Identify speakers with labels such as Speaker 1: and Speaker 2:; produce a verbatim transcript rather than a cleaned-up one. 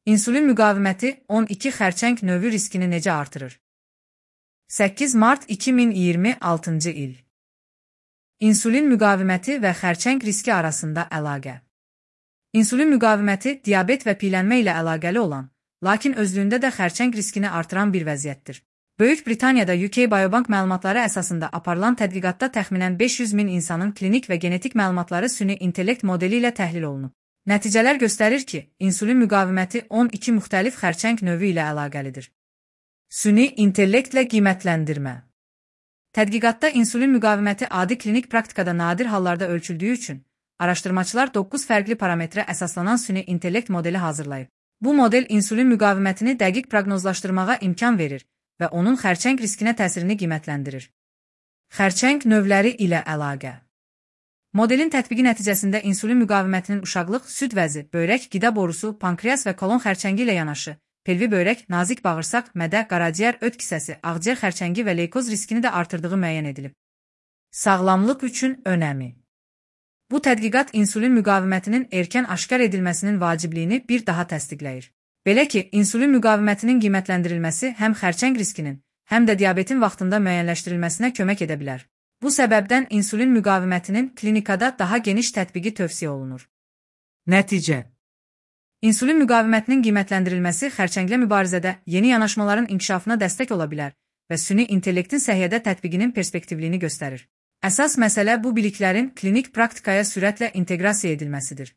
Speaker 1: İnsulin müqaviməti on iki xərçəng növü riskini necə artırır? səkkiz mart iki min iyirmi altıncı il. İnsulin müqaviməti və xərçəng riski arasında əlaqə. İnsulin müqaviməti diabet və piyələnmə ilə əlaqəli olan, lakin özlüyündə də xərçəng riskini artıran bir vəziyyətdir. Böyük Britaniyada U K Biobank məlumatları əsasında aparılan tədqiqatda təxminən beş yüz min insanın klinik və genetik məlumatları süni intellekt modeli ilə təhlil olunub. Nəticələr göstərir ki, insulin müqaviməti on iki müxtəlif xərçəng növü ilə əlaqəlidir. Süni intellektlə qiymətləndirmə. Tədqiqatda insulin müqaviməti adi klinik praktikada nadir hallarda ölçüldüyü üçün, araşdırmaçılar doqquz fərqli parametrə əsaslanan süni intellekt modeli hazırlayıb. Bu model insulin müqavimətini dəqiq proqnozlaşdırmağa imkan verir və onun xərçəng riskinə təsirini qiymətləndirir. Xərçəng növləri ilə əlaqə. Modelin tətbiqi nəticəsində insulin müqavimətinin uşaqlıq, süd vəzi, böyrək, qida borusu, pankreas və kolon xərçəngi ilə yanaşı, pelvi böyrək, nazik bağırsaq, mədə, qaraciyər, öd kisəsi, ağciyər xərçəngi və leykoz riskini də artırdığı müəyyən edilib. Sağlamlıq üçün önəmi. Bu tədqiqat insulin müqavimətinin erkən aşkar edilməsinin vacibliyini bir daha təsdiqləyir. Belə ki, insulin müqavimətinin qiymətləndirilməsi həm xərçəng riskinin, həm də diabetin vaxtında müəyyənləşdirilməsinə kömək edə bilər. Bu səbəbdən insulin müqavimətinin klinikada daha geniş tətbiqi tövsiyə olunur. Nəticə. İnsulin müqavimətinin qiymətləndirilməsi xərçənglə mübarizədə yeni yanaşmaların inkişafına dəstək ola bilər və süni intellektin səhiyyədə tətbiqinin perspektivliyini göstərir. Əsas məsələ bu biliklərin klinik praktikaya sürətlə inteqrasiya edilməsidir.